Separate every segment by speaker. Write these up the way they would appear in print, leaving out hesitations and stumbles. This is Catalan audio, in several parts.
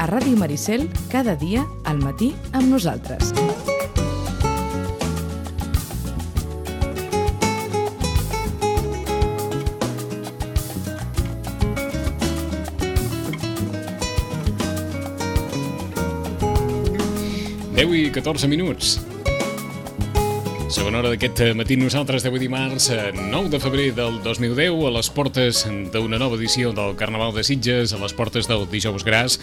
Speaker 1: Ràdio Maricel, cada dia, al matí, amb nosaltres.
Speaker 2: Deu i 14 minuts. Segona hora d'aquest matí nosaltres d'avui dimarts 9 de febrer del 2010 a les portes d'una nova edició del Carnaval de Sitges, a les portes del Dijous Gras.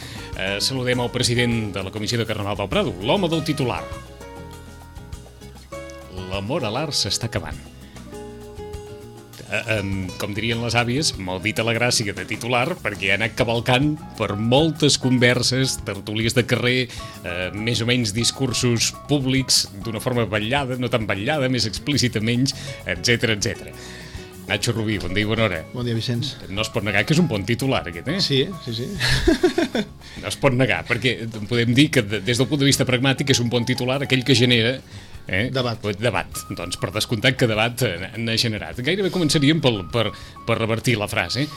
Speaker 2: Saludem al president de la Comissió de Carnaval del Prado, l'home del titular. L'amor a l'art s'està acabant. Com dirien les àvies, maldita la gràcia de titular, perquè ha anat cavalcant per moltes converses, tertúlies de carrer, més o menys discursos públics d'una forma vetllada, no tan vetllada, més explícita, menys, etc etc. Nacho Rubí, bon dia i bona hora.
Speaker 3: Bon dia, Vicenç.
Speaker 2: No es pot negar que és un bon titular, aquest, eh?
Speaker 3: Sí.
Speaker 2: No es pot negar, perquè podem dir que des del punt de vista pragmàtic és un bon titular aquell que genera
Speaker 3: debat.
Speaker 2: Doncs per descomptat que debat n'ha generat. Gairebé començaríem per revertir la frase.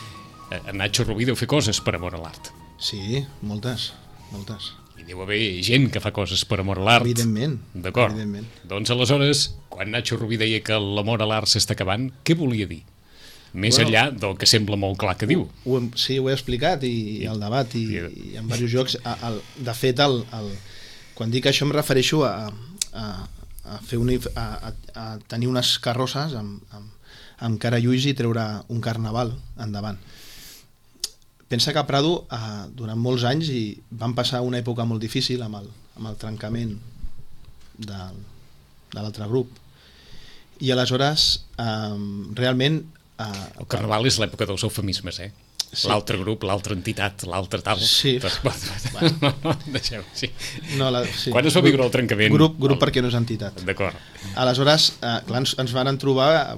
Speaker 2: Nacho Rubí deu fer coses per amor a l'art.
Speaker 3: Sí, moltes.
Speaker 2: I deu haver gent que fa coses per amor a l'art.
Speaker 3: Evidentment.
Speaker 2: D'acord. Doncs aleshores, quan Nacho Rubí deia que l'amor a l'art s'està acabant, què volia dir? Més enllà del que sembla molt clar que diu.
Speaker 3: Sí, ho he explicat i al debat i en diversos jocs. De fet, quan dic això em refereixo a tenir unes carrosses amb cara lluís i treure un carnaval endavant. Pensa que a Prado durant molts anys van passar una època molt difícil amb el trencament de l'altre grup i aleshores realment
Speaker 2: el carnaval és l'època dels eufemismes, eh? Sí. L'altre grup, l'altra entitat, l'altre tal.
Speaker 3: Sí.
Speaker 2: No, deixeu, sí.
Speaker 3: Sí.
Speaker 2: Quan es va viure el trencament?
Speaker 3: Grup perquè no és entitat.
Speaker 2: D'acord.
Speaker 3: Aleshores, clar, ens van trobar,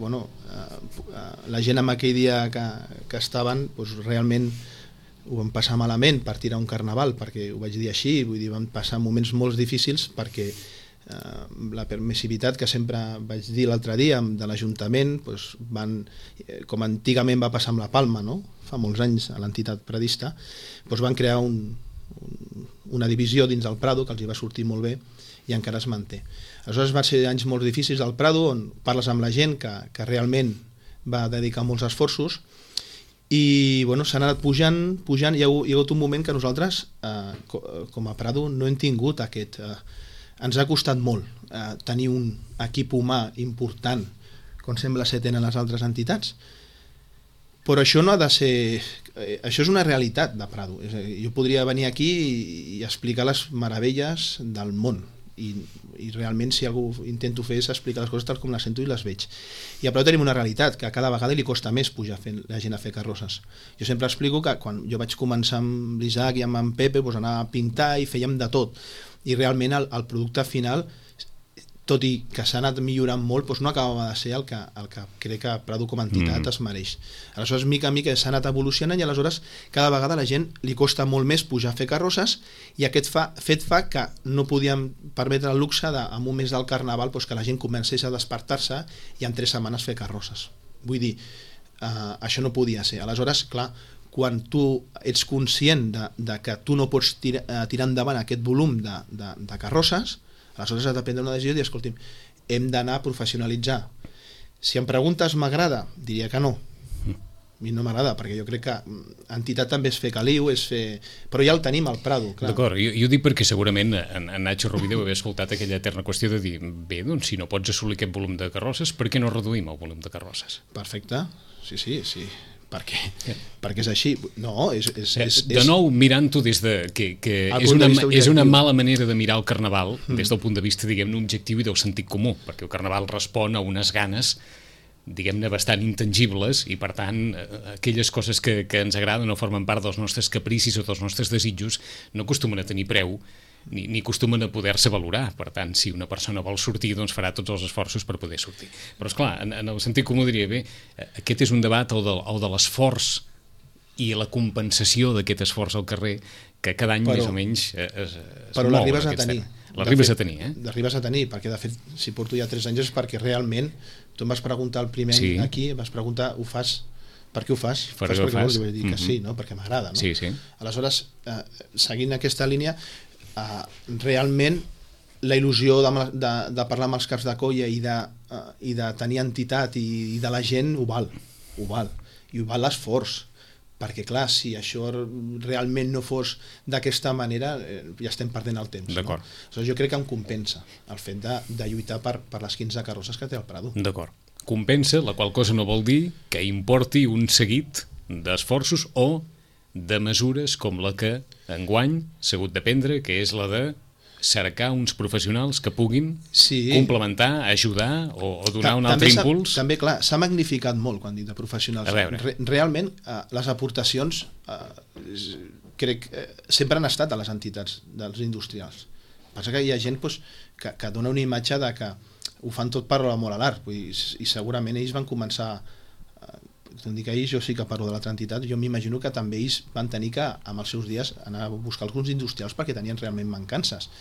Speaker 3: la gent en aquell dia que estaven, doncs realment ho vam passar malament per tirar un carnaval, perquè ho vaig dir així, vull dir, vam passar moments molt difícils perquè la permissivitat que sempre vaig dir l'altre dia de l'Ajuntament, doncs com antigament va passar amb la Palma, no? Fa molts anys a l'entitat pradista, doncs van crear una divisió dins del Prado que els hi va sortir molt bé i encara es manté. Aleshores van ser anys molt difícils al Prado, on parles amb la gent que realment va dedicar molts esforços i s'han anat pujant, hi ha hagut un moment que nosaltres com a Prado no hem tingut aquest... Ens ha costat molt tenir un equip humà important, com sembla ser tenen les altres entitats, però això no ha de ser... Això és una realitat de Prado. Jo podria venir aquí i explicar les meravelles del món, i realment si algú intento fer és explicar les coses tal com les sento i les veig. I a Prado tenim una realitat, que cada vegada li costa més pujar la gent a fer carrosses. Jo sempre explico que quan jo vaig començar amb l'Isaac i amb en Pepe, anava a pintar i fèiem de tot, i realment el producte final, tot i que s'ha anat millorant molt, no acabava de ser el que crec que Prado com a entitat es mereix. Aleshores, mica a mica s'ha anat evolucionant i aleshores cada vegada a la gent li costa molt més pujar a fer carrosses i aquest fet fa que no podíem permetre el luxe en un mes del Carnaval que la gent comencés a despertar-se i en 3 setmanes fer carrosses. Vull dir, això no podia ser. Aleshores, clar, quan tu ets conscient de que tu no pots tirar endavant aquest volum de carrosses, aleshores has de prendre una decisió i dir, escolti'm, hem d'anar a professionalitzar. Si em preguntes m'agrada, diria que no. A mi no m'agrada, perquè jo crec que entitat també és fer caliu, però ja el tenim al Prado, clar.
Speaker 2: D'acord, jo ho dic perquè segurament en Nacho Rubí deu haver escoltat aquella eterna qüestió de dir, bé, doncs si no pots assolir aquest volum de carrosses, per què no reduïm el volum de carrosses?
Speaker 3: Perfecte, sí. Perquè és així. No,
Speaker 2: de nou, mirant-ho des de... que és una mala manera de mirar el Carnaval des del punt de vista, diguem-ne, objectiu i del sentit comú, perquè el Carnaval respon a unes ganes, diguem-ne, bastant intangibles i, per tant, aquelles coses que ens agraden o formen part dels nostres capricis o dels nostres desitjos no acostumen a tenir preu ni acostumen a poder-se valorar. Per tant, si una persona vol sortir, doncs farà tots els esforços per poder sortir. Però, esclar, en el sentit comú diria, bé, aquest és un debat, el de l'esforç i la compensació d'aquest esforç al carrer, que cada any més o menys es
Speaker 3: però
Speaker 2: mou.
Speaker 3: L'arribes a tenir.
Speaker 2: L'arribes a tenir, eh?
Speaker 3: L'arribes a tenir, perquè de fet, si porto ja 3 anys és perquè realment, tu em vas preguntar el primer any aquí, vas preguntar, ho fas per què ho fas?
Speaker 2: Perquè vols,
Speaker 3: li vaig dir que sí, no? Perquè m'agrada, no?
Speaker 2: Sí, sí.
Speaker 3: Aleshores, seguint aquesta línia, realment la il·lusió de parlar amb els caps de colla i de tenir entitat i de la gent ho val, i ho val l'esforç, perquè clar, si això realment no fos d'aquesta manera, ja estem perdent el temps.
Speaker 2: D'acord.
Speaker 3: No? Aleshores, jo crec que em compensa el fet de lluitar per les 15 carrosses que té el Prado.
Speaker 2: D'acord. Compensa, la qual cosa no vol dir que importi un seguit d'esforços o de mesures com la que enguany s'ha hagut de prendre, que és la de cercar uns professionals que puguin complementar, ajudar o donar un altre impuls.
Speaker 3: També, clar, s'ha magnificat molt quan dic de professionals. Realment, les aportacions crec sempre han estat a les entitats dels industrials. Passa que hi ha gent que dona una imatge de que ho fan tot per l'amor a l'art, i segurament ells van començar, dic ells, jo sí que parlo de l'altra entitat, jo m'imagino que també ells van tenir que, amb els seus dies, anar a buscar alguns industrials perquè tenien realment mancances.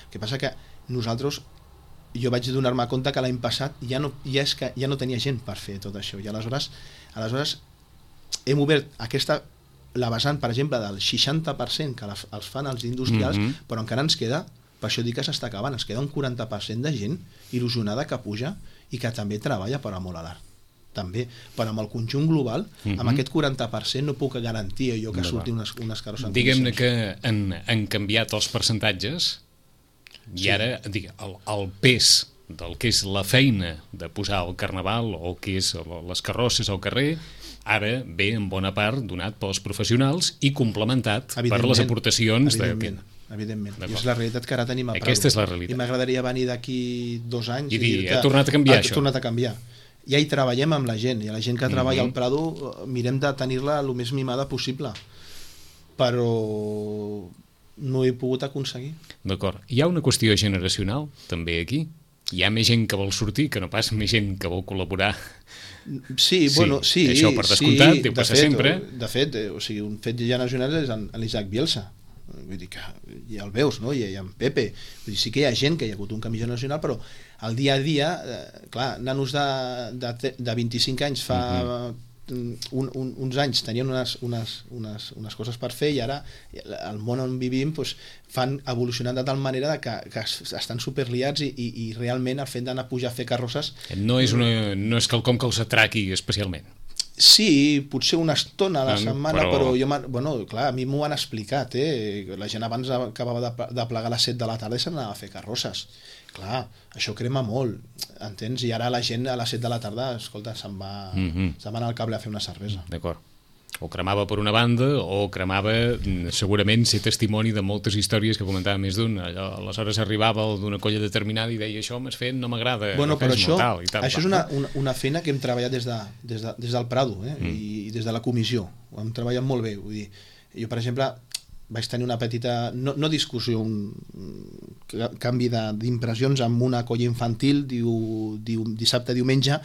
Speaker 3: El que passa que nosaltres, jo vaig donar-me compte que l'any passat ja no tenia gent per fer tot això, i aleshores hem obert la vessant, per exemple, del 60% que els fan els industrials, però encara ens queda, per això dic que s'està acabant, ens queda un 40% de gent il·lusionada que puja i que també treballa per amor a l'art. També, però amb el conjunt global, amb aquest 40% no puc garantir allò que surti unes carrosses.
Speaker 2: Diguem-ne que han canviat els percentatges i ara el pes del que és la feina de posar el carnaval o que és les carrosses al carrer ara ve en bona part donat pels professionals i complementat per les aportacions
Speaker 3: evidentment. I és la realitat que ara tenim a Prado.
Speaker 2: Aquesta és la realitat.
Speaker 3: I m'agradaria venir d'aquí 2 anys
Speaker 2: i dir ha tornat a canviar això.
Speaker 3: Ha tornat a canviar. Ja hi treballem amb la gent, i la gent que treballa al Prado mirem de tenir-la el més mimada possible, però no he pogut aconseguir.
Speaker 2: D'acord. Hi ha una qüestió generacional també aquí? Hi ha més gent que vol sortir que no pas més gent que vol col·laborar?
Speaker 3: Sí,
Speaker 2: això per descomptat, deu passar sempre.
Speaker 3: De fet, un fet generacional és l'Isaac Bielsa. Vull dir que ja el veus, no? I en Pepe, vull dir, sí que hi ha gent que hi ha hagut un canvi generacional, però el dia a dia, clar, nanos de 25 anys fa uns anys tenien unes coses per fer, i ara el món on vivim fan evolucionant de tal manera que estan superliats, i realment el fet d'anar a pujar a fer carrosses
Speaker 2: no és quelcom que els atraqui especialment.
Speaker 3: Sí, potser una estona a la setmana, però jo, clar, a mi m'ho han explicat, la gent abans acabava de plegar a les 7 de la tarda i s'anava a fer carrosses. Clar, això crema molt, entens? I ara la gent a les 7 de la tarda, escolta, se'n va anar al cable a fer una cervesa.
Speaker 2: D'acord. O cremava per una banda, o cremava segurament ser testimoni de moltes històries que comentava més d'un. Aleshores arribava d'una colla determinada i deia això m'has fet, no m'agrada.
Speaker 3: Però això és una feina que hem treballat des del Prado, i des de la comissió. Ho hem treballat molt bé. Vull dir, jo, per exemple, vaig tenir una petita, no discussió, un canvi d'impressions amb una colla infantil dissabte, diumenge,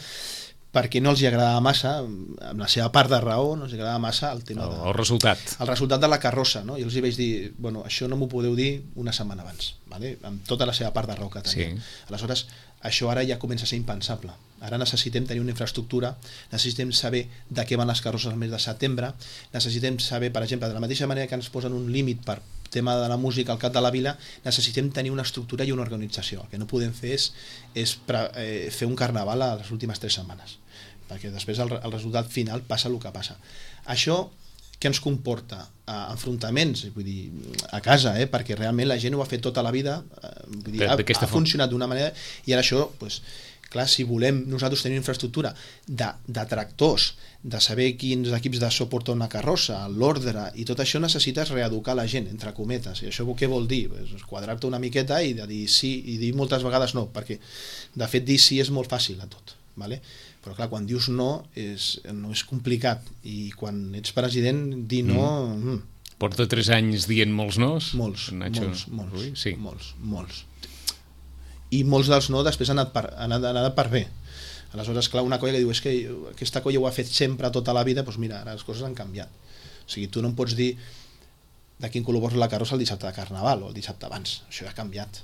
Speaker 3: perquè no els agradava massa, amb la seva part de raó, no els agradava massa el tema
Speaker 2: el resultat.
Speaker 3: El resultat de la carrossa, no? I els vaig dir, això no m'ho podeu dir una setmana abans, ¿vale? Amb tota la seva part de raó que tenia. Sí. Aleshores, això ara ja comença a ser impensable. Ara necessitem tenir una infraestructura, necessitem saber de què van les carrosses al mes de setembre, necessitem saber, per exemple, de la mateixa manera que ens posen un límit per tema de la música al cap de la vila, necessitem tenir una estructura i una organització. El que no podem fer és fer un carnaval a les últimes 3 setmanes, perquè després el resultat final passa el que passa. Això què ens comporta? Enfrontaments, vull dir, a casa, perquè realment la gent ho ha fet tota la vida, vull dir, ha funcionat d'una manera, i ara això, clar, si volem nosaltres tenir infraestructura de tractors, de saber quins equips de so porta una carrossa, l'ordre, i tot això necessites reeducar la gent, entre cometes. I això què vol dir? Quadrar-te una miqueta i de dir sí, i dir moltes vegades no, perquè de fet dir sí és molt fàcil a tot, ¿vale? Però clar, quan dius no és complicat, i quan ets president dir no...
Speaker 2: Porta 3 anys dient molts nos?
Speaker 3: Molts. I molts dels no després han anat per bé. Aleshores, clar, una colla que diu és que aquesta colla ho ha fet sempre tota la vida, doncs mira, ara les coses han canviat. O sigui, tu no em pots dir de quin color vols la carrossa el dissabte de Carnaval o el dissabte abans. Això ja ha canviat.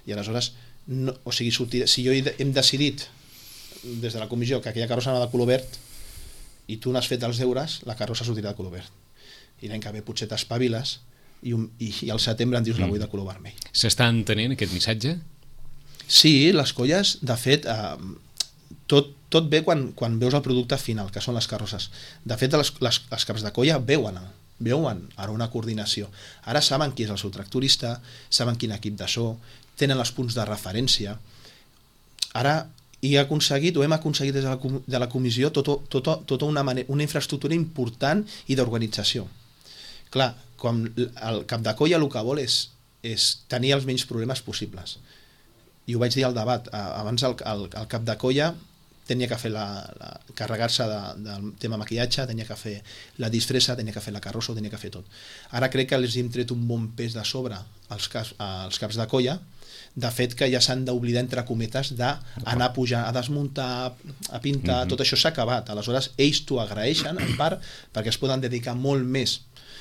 Speaker 3: I aleshores, si jo hem decidit des de la comissió que aquella carrossa anava de color verd, i tu n'has fet els deures, la carrossa sortirà de color verd. I l'any que ve potser t'espaviles i al setembre en dius la vull de color vermell.
Speaker 2: S'està entenent aquest missatge?
Speaker 3: Sí, les colles, de fet, tot ve quan veus el producte final, que són les carrosses. De fet, les caps de colla veuen ara una coordinació. Ara saben qui és el seu tractorista, saben quin equip de so, tenen els punts de referència. Ara hem aconseguit des de la comissió tota una infraestructura important i d'organització. Clar, com el cap de colla el que vol és tenir els menys problemes possibles. I ho vaig dir al debat, abans el cap de colla tenia que fer carregar-se del tema maquillatge, tenia que fer la disfressa, tenia que fer la carrossa, tenia que fer tot. Ara crec que els hem tret un bon pes de sobre als caps de colla, de fet que ja s'han d'oblidar, entre cometes, d'anar a pujar, a desmuntar, a pintar, tot això s'ha acabat. Aleshores, ells t'ho agraeixen, en part, perquè es poden dedicar molt més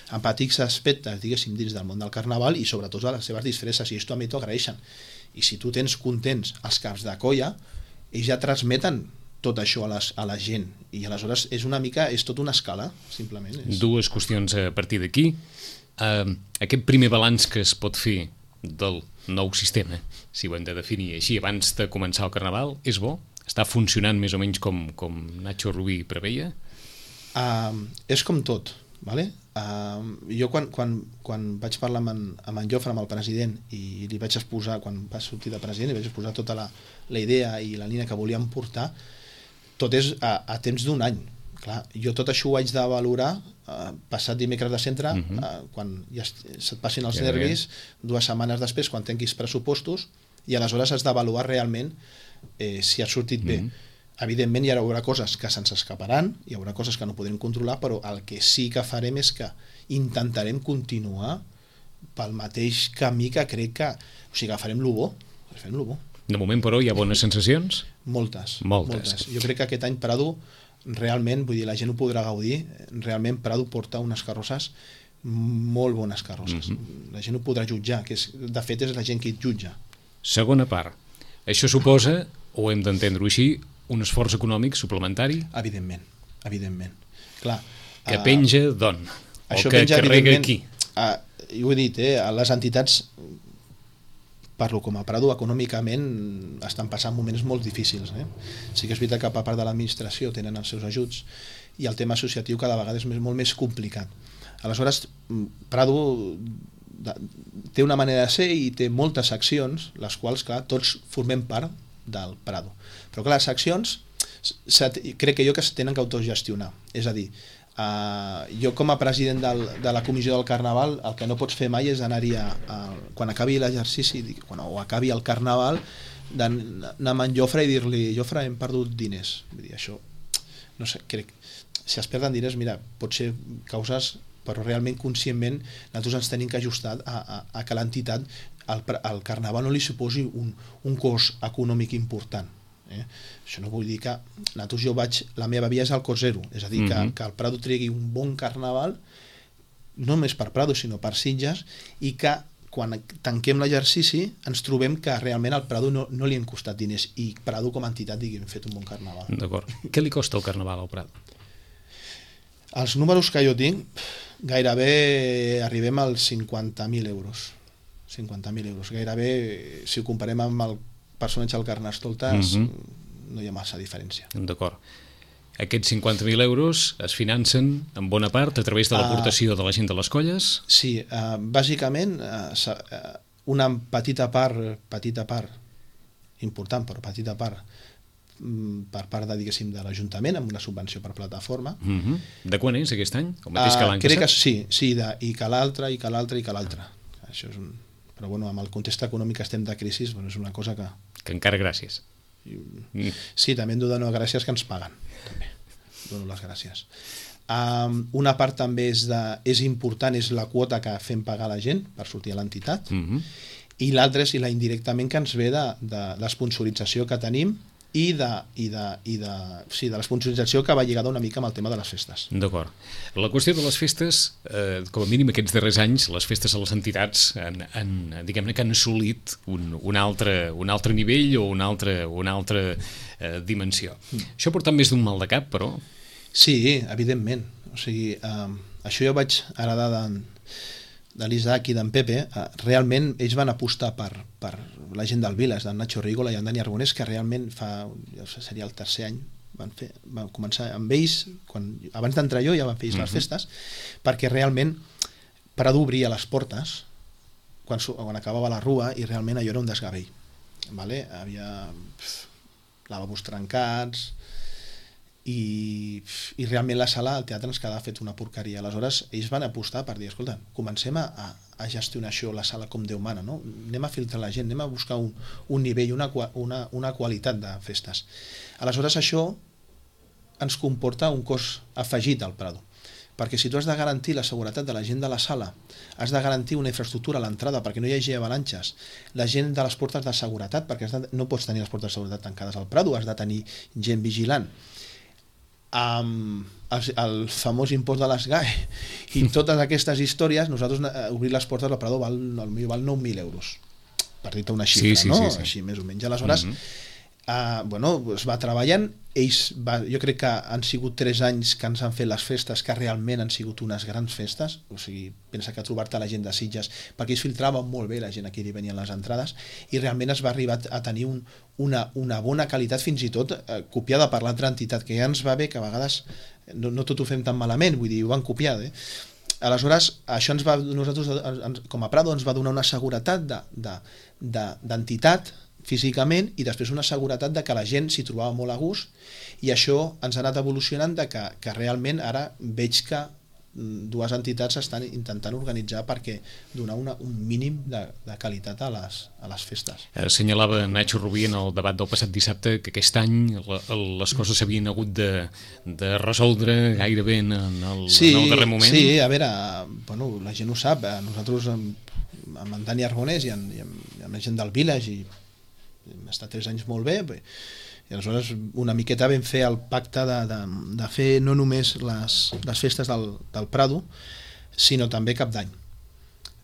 Speaker 3: en petits aspectes, diguéssim, dins del món del carnaval i sobretot a les seves disfresses, i ells també t'ho agraeixen. I si tu tens contents els caps de colla, ells ja transmeten tot això a la gent, i aleshores és tota una escala, simplement.
Speaker 2: Dues qüestions a partir d'aquí. Aquest primer balanç que es pot fer del nou sistema, si ho hem de definir així, abans de començar el Carnaval, és bo? Està funcionant més o menys com Nacho Rubí preveia?
Speaker 3: És com tot, ¿vale? Jo quan vaig parlar amb en Jofre, amb el president, i li vaig exposar, quan va sortir de president, li vaig exposar tota la idea i la línia que volíem portar, tot és a temps d'un any. Clar, jo tot això ho haig de valorar passat dimecres de centre, quan ja se't passin els nervis, 2 setmanes després, quan tinguis pressupostos, i aleshores has d'avaluar realment si ha sortit bé. Evidentment hi haurà coses que se'ns escaparan, hi haurà coses que no podrem controlar, però el que sí que farem és que intentarem continuar pel mateix camí que crec que... O sigui, que farem lo bo.
Speaker 2: De moment, però, hi ha bones sensacions?
Speaker 3: Moltes. Jo crec que aquest any Prado realment, vull dir, la gent ho podrà gaudir, realment Prado porta unes carrosses, molt bones carrosses. La gent ho podrà jutjar, que de fet és la gent que et jutja.
Speaker 2: Segona part. Això suposa, o hem d'entendre-ho així, un esforç econòmic suplementari?
Speaker 3: Evidentment. Clar,
Speaker 2: que penja d'on? O que carrega aquí?
Speaker 3: Jo ho he dit, les entitats, parlo com a Prado, econòmicament estan passant moments molt difícils. Sí que és veritat que per part de l'administració tenen els seus ajuts i el tema associatiu cada vegada és molt més complicat. Aleshores, Prado té una manera de ser i té moltes accions, les quals, clar, tots formem part del Prado. Però clar, les accions crec que es tenen que autogestionar. És a dir, jo com a president de la comissió del Carnaval el que no pots fer mai és anar-hi quan acabi l'exercici o acabi el Carnaval d'anar amb en Jofre i dir-li Jofre, hem perdut diners. Vull dir, això, no sé, crec si es perden diners, mira, pot ser causes, però realment conscientment nosaltres ens tenim que ajustar a que l'entitat al Carnaval no li suposi un cost econòmic important. Això no vull dir que la meva via és al cost zero, és a dir, que el Prado tregui un bon Carnaval no només per Prado sinó per Sitges, i que quan tanquem l'exercici ens trobem que realment al Prado no li han costat diners i Prado com a entitat digui hem fet un bon Carnaval.
Speaker 2: D'acord. Què li costa el Carnaval al Prado?
Speaker 3: Els números que jo tinc, gairebé arribem als 50.000 euros. 50.000 euros. Gairebé, si ho comparem amb el personatge del Carnestoltes, no hi ha massa diferència.
Speaker 2: D'acord. Aquests 50.000 euros es financen en bona part a través de l'aportació de la gent de les colles?
Speaker 3: Sí, bàsicament una petita part, important però petita part, per part de l'Ajuntament amb una subvenció per plataforma.
Speaker 2: De quan és aquest any? El mateix que l'any
Speaker 3: passat? Crec que sí, i que l'altre. Això és però bueno, amb el context econòmic que estem de crisi, és una cosa que
Speaker 2: encara gràcies.
Speaker 3: Sí, també hem de donar gràcies que ens paguen. També dono les gràcies. Una part també és important, és la quota que fem pagar a la gent per sortir a l'entitat, i l'altra és la indirectament que ens ve de l'esponsorització que tenim i de l'esponsorització que va lligada una mica amb el tema de les festes.
Speaker 2: D'acord. La qüestió de les festes, com a mínim aquests darrers anys, les festes a les entitats diguem-ne que han assolit un altre nivell o una altra dimensió. Això porta més d'un mal de cap, però?
Speaker 3: Sí, evidentment. O sigui, això jo vaig heredar de l'Isaac i d'en Pepe. Realment ells van apostar per la gent del Viles, d'en Nacho Rigola i en Dani Arbonés, que realment seria el tercer any, van començar amb ells, abans d'entrar jo ja van fer les festes, perquè realment Prado obria les portes quan acabava la rua i realment allò era un desgavell. Vale? Havia lavabos trencats i realment la sala, el teatre ens quedava fet una porqueria. Aleshores ells van apostar per dir, escolta, comencem a gestionar això, la sala com Déu mana, no? Anem a filtrar la gent, anem a buscar un nivell, una qualitat de festes. Aleshores això ens comporta un cost afegit al Prado, perquè si tu has de garantir la seguretat de la gent de la sala, has de garantir una infraestructura a l'entrada perquè no hi hagi avalanxes, la gent de les portes de seguretat, perquè no pots tenir les portes de seguretat tancades al Prado, has de tenir gent vigilant, el famós impost de les GAE i totes aquestes històries, nosaltres obrir les portes al Prado val 9.000 euros, per dir-te una xifra, no? Així més o menys. Aleshores es va treballant, jo crec que han sigut 3 anys que ens han fet les festes, que realment han sigut unes grans festes. O sigui, pensa que trobar-te la gent de Sitges, perquè ells filtraven molt bé la gent a qui li venien les entrades, i realment es va arribar a tenir una bona qualitat, fins i tot copiada per l'altra entitat, que ja ens va bé que a vegades no tot ho fem tan malament, vull dir, ho van copiar, Aleshores, això nosaltres, com a Prado, ens va donar una seguretat d'entitat físicament, i després una seguretat de que la gent s'hi trobava molt a gust, i això ens ha anat evolucionant de que realment ara veig que dues entitats estan intentant organitzar perquè donar un mínim de qualitat a les festes.
Speaker 2: Assenyalava Nacho Rubí en el debat del passat dissabte que aquest any les coses s'havien hagut de resoldre gairebé en el darrer moment.
Speaker 3: Sí, a veure, la gent ho sap, nosaltres amb en Dani Arbonés i amb la gent del Village hem estat 3 anys molt bé, i aleshores una miqueta vam fer el pacte de fer no només les festes del Prado, sinó també Cap d'Any.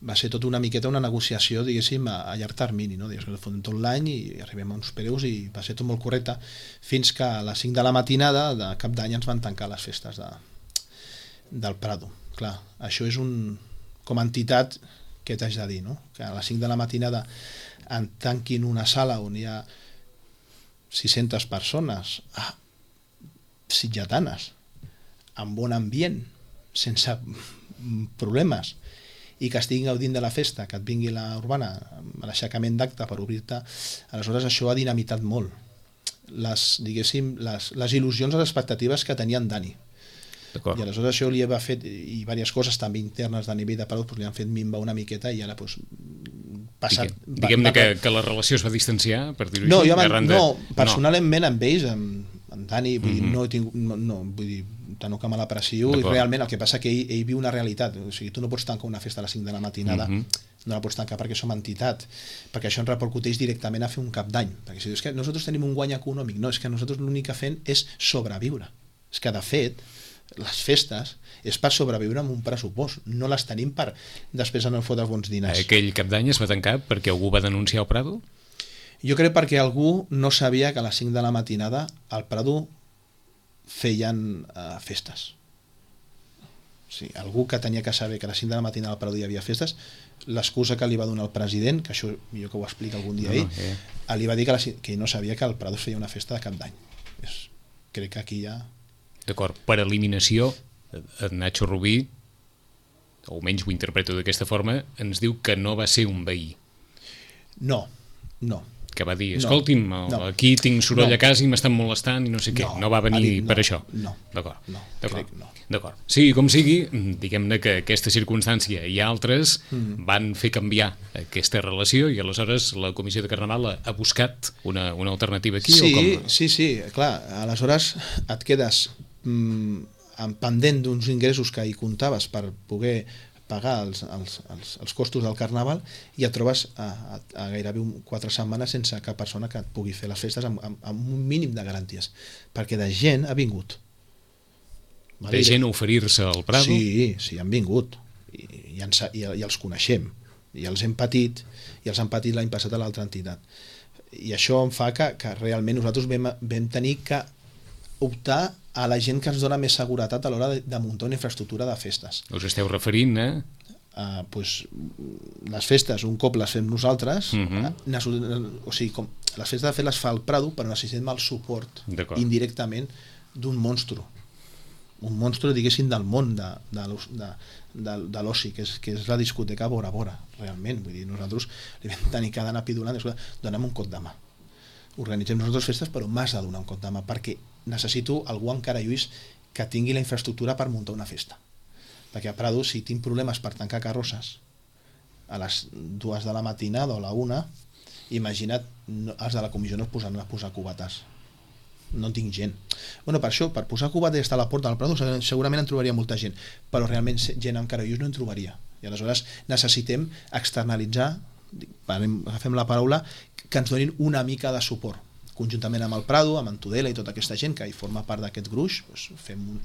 Speaker 3: Va ser tot una miqueta una negociació, diguéssim, a llarg termini, no? Fotem tot l'any i arribem a uns preus, i va ser tot molt correcte, fins que a les 5 de la matinada de Cap d'Any ens van tancar les festes del Prado. Clar, això és com a entitat, què t'haig de dir, no? Que a les 5 de la matinada en tanquin una sala on hi ha 600 persones sitgetanes, amb bon ambient, sense problemes, i que estiguin gaudint de la festa, que et vingui la urbana a l'aixecament d'acte per obrir-te. Aleshores això ha dinamitat molt les il·lusions o les expectatives que tenia en Dani. I aleshores això li va fet, i diverses coses també internes de nivell de Prado, li han fet minvar una miqueta, i ara
Speaker 2: diguem-ne que la relació es va distanciar, per dir-ho
Speaker 3: així? No, personalment amb ells, amb Dani, vull dir, no me l'aprecio, i realment el que passa que ell viu una realitat. O sigui, tu no pots tancar una festa a les 5 de la matinada, no la pots tancar perquè som entitat, perquè això ens repercuteix directament a fer un Cap d'Any, perquè si dius que nosaltres tenim un guany econòmic, no, és que nosaltres l'únic que fem és sobreviure. És que de fet les festes és per sobreviure amb un pressupost, no les tenim per després anar a fotre bons diners.
Speaker 2: Aquell Cap d'Any es va tancar perquè algú va denunciar el Prado?
Speaker 3: Jo crec perquè algú no sabia que a les 5 de la matinada al Prado feien festes. Sí, algú que tenia que saber que a les 5 de la matinada al Prado hi havia festes, l'excusa que li va donar el president, que això millor que ho explica algun dia ell, li va dir que no sabia que al Prado feia una festa de Cap d'Any. Crec que aquí ja...
Speaker 2: D'acord, per eliminació, Nacho Rubí, o almenys ho interpreto d'aquesta forma, ens diu que no va ser un veí.
Speaker 3: No.
Speaker 2: Que va dir, escolti'm, aquí tinc soroll a casa i m'estan molestant i no sé què. No va venir per això.
Speaker 3: No.
Speaker 2: D'acord. Sí, com sigui, diguem-ne que aquesta circumstància i altres van fer canviar aquesta relació, i aleshores la Comissió de Carnaval ha buscat una alternativa aquí?
Speaker 3: Sí, clar. Aleshores et quedes pendent d'uns ingressos que hi comptaves per poder pagar els costos del Carnaval, i et trobes a gairebé 4 setmanes sense cap persona que et pugui fer les festes amb un mínim de garanties, perquè de gent ha vingut.
Speaker 2: De gent a oferir-se al Prado?
Speaker 3: Sí, han vingut, i els coneixem, i els hem patit, i els han patit l'any passat a l'altra entitat, i això em fa que realment nosaltres vam tenir que optar a la gent que ens dona més seguretat a l'hora de muntar una infraestructura de festes.
Speaker 2: Us esteu referint a...
Speaker 3: Pues, les festes, un cop les fem nosaltres, o sigui, les festes de fet les fa el Prado, però necessitem el suport indirectament d'un monstru. Un monstru, diguéssim, del món de l'oci, que és la discoteca Bora Bora, realment. Vull dir, nosaltres li vam tenir que anar pidulant, donem un cop de mà. Organitzem nosaltres festes, però m'has de donar un cop de mà, perquè necessito algú encara, Lluís, que tingui la infraestructura per muntar una festa. Perquè a Prado, si tinc problemes per tancar carrosses a les 2 de la matinada o a la 1, imagina't, els de la comissió no es posaran a posar cubates. No tinc gent. Bueno, per això, per posar cubates i estar a la porta del Prado, segurament en trobaria molta gent, però realment gent amb carollos no en trobaria. I aleshores necessitem externalitzar, agafem la paraula, que ens donin una mica de suport. Conjuntament amb el Prado, amb en Tudela i tota aquesta gent que hi forma part d'aquest gruix, doncs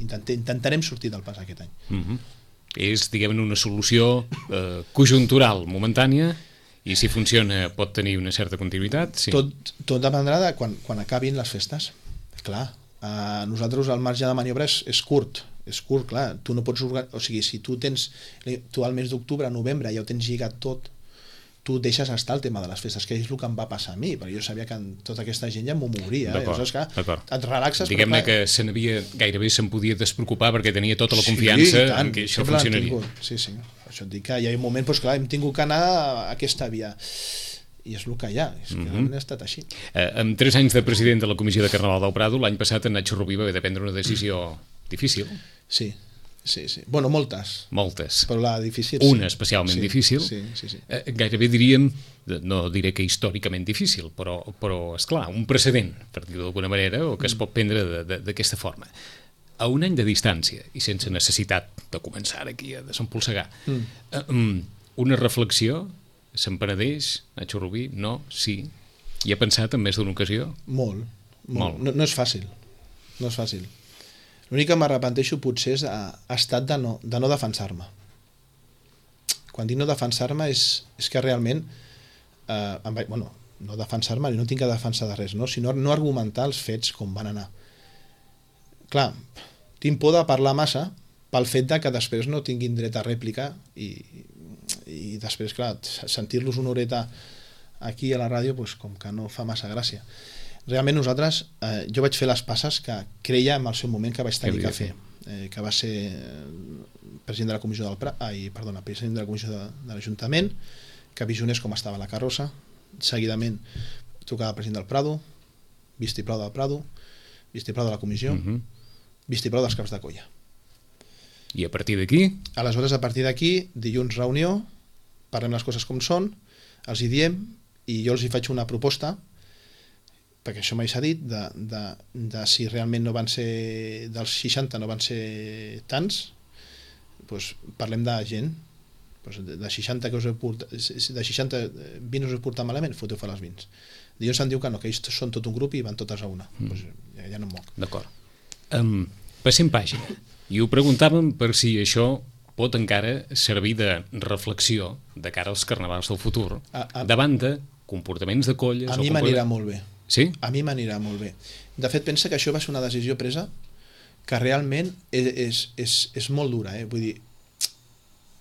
Speaker 3: intentarem sortir del pas aquest any.
Speaker 2: És, diguem-ne, una solució conjuntural, momentània, i si funciona pot tenir una certa continuïtat? Sí.
Speaker 3: Tot dependrà de quan acabin les festes. Clar, nosaltres el marge de maniobra és curt, clar, tu no pots o sigui, si tu al mes d'octubre, novembre ja ho tens lligat tot, tu deixes estar el tema de les festes, que és el que em va passar a mi, perquè jo sabia que tota aquesta gent ja m'ho mouria, llavors et relaxes.
Speaker 2: Diguem-ne que gairebé se'n podia despreocupar perquè tenia tota la confiança en que això funcionaria.
Speaker 3: Sí, això et dic que hi ha un moment, doncs clar, hem tingut que anar a aquesta via, i és el que hi ha, és que ha estat així.
Speaker 2: Amb 3 anys de president de la Comissió de Carnaval del Prado, l'any passat en Nacho Rubí va haver de prendre una decisió difícil.
Speaker 3: Sí. Bueno, moltes. Però la difícil,
Speaker 2: una especialment difícil.
Speaker 3: Sí.
Speaker 2: Gairebé diríem, no diré que històricament difícil, però esclar, un precedent, per dir-ho d'alguna manera, o que es pot prendre d'aquesta forma. A un any de distància, i sense necessitat de començar aquí a desempolsegar, una reflexió, se'n penedeix, Nacho Rubí? No? Sí? Hi ha pensat en més d'una ocasió?
Speaker 3: Molt. No és fàcil. L'únic que m'arrepenteixo potser és estat de no defensar-me. Quan dic no defensar-me és que realment no defensar-me i no tinc que defensar de res, sinó no argumentar els fets com van anar. Clar, tinc por de parlar massa pel fet de que després no tinguin dret a rèplica i després, clar, sentir-los una horeta aquí a la ràdio com que no fa massa gràcia. Realment nosaltres, jo vaig fer les passes que creia en el seu moment que vaig tenir que fer, que va ser president de la comissió president de la comissió de l'Ajuntament, que visionés com estava la carrossa, seguidament trucava al president del Prado, vistiplau del Prado, vistiplau de la comissió, vistiplau dels caps de colla.
Speaker 2: I a partir d'aquí?
Speaker 3: Aleshores, a partir d'aquí, dilluns reunió, parlem les coses com són, els hi diem, i jo els hi faig una proposta, perquè això mai s'ha dit, de si realment no van ser dels 60 no van ser tants, doncs parlem de gent, de 60 que us heu portat, de 60 20 us heu portat malament, foteu fora els 20. Dilluns se'n diu que no, que ells són tot un grup i van totes a una. Doncs ja no em moc.
Speaker 2: D'acord. Passem pàgina. I ho preguntàvem per si això pot encara servir de reflexió de cara als carnavals del futur, davant de comportaments de colles...
Speaker 3: A mi m'anirà molt bé.
Speaker 2: Sí?
Speaker 3: A mi m'anirà molt bé. De fet, pensa que això va ser una decisió presa que realment és molt dura, vull dir,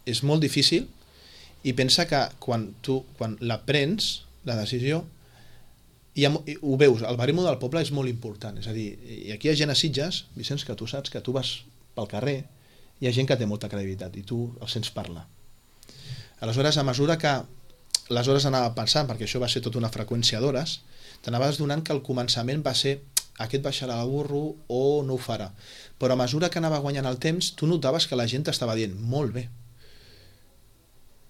Speaker 3: és molt difícil, i pensa que quan la prens, la decisió, ho veus, el baremo del poble és molt important, és a dir, i aquí hi ha gent a Sitges, Vicenç, que tu saps que tu vas pel carrer, hi ha gent que té molta credibilitat i tu el sents parlar. Aleshores, a mesura que les hores anava pensant, perquè això va ser tota una freqüència d'hores, t'anaves donant que al començament va ser aquest baixarà el burro o no ho farà, però a mesura que anava guanyant el temps tu notaves que la gent t'estava dient molt bé.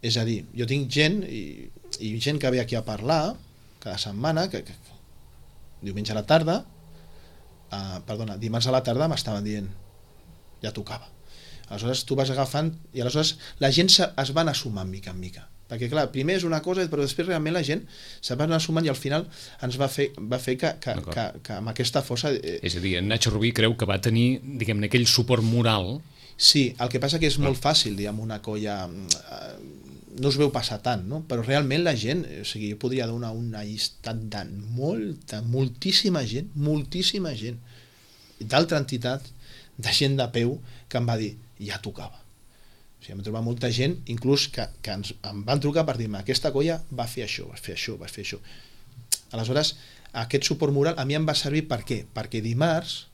Speaker 3: És a dir, jo tinc gent i gent que ve aquí a parlar cada setmana, que diumenge a la tarda, dimarts a la tarda m'estaven dient ja tocava. Aleshores tu vas agafant i aleshores la gent es va anar sumant mica en mica, perquè clar, primer és una cosa però després realment la gent se va anar sumant i al final ens va fer que amb aquesta força...
Speaker 2: És a dir, en Nacho Rubí creu que va tenir, diguem-ne, aquell suport moral.
Speaker 3: Sí, el que passa que és molt fàcil, diguem, una colla no es veu passar tant, no? Però realment la gent, o sigui, jo podria donar una llistat de moltíssima gent d'altra entitat, de gent de peu, que em va dir, ja tocava. O sigui, em trobar molta gent, inclús que em van trucar per dir-me, aquesta colla va fer això, va fer això, va fer això. Aleshores, aquest suport moral a mi em va servir per què? Perquè dimarts,